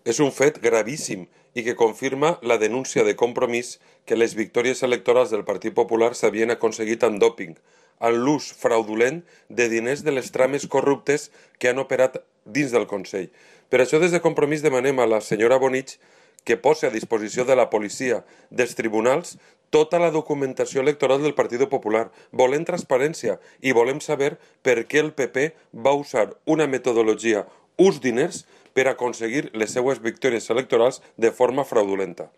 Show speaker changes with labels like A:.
A: És un fet gravíssim i que confirma la denúncia de Compromís que les victòries electorals del Partit Popular s'havien aconseguit amb dòping, amb l'ús fraudulent de diners de les trames corruptes que han operat dins del Consell. Per això des de Compromís demanem a la senyora Bonich que posi a disposició de la policia, dels tribunals, tota la documentació electoral del Partit Popular. Volem transparència i volem saber per què el PP va usar una metodologia, uns diners, per aconseguir les seues victòries electorals de forma fraudulenta.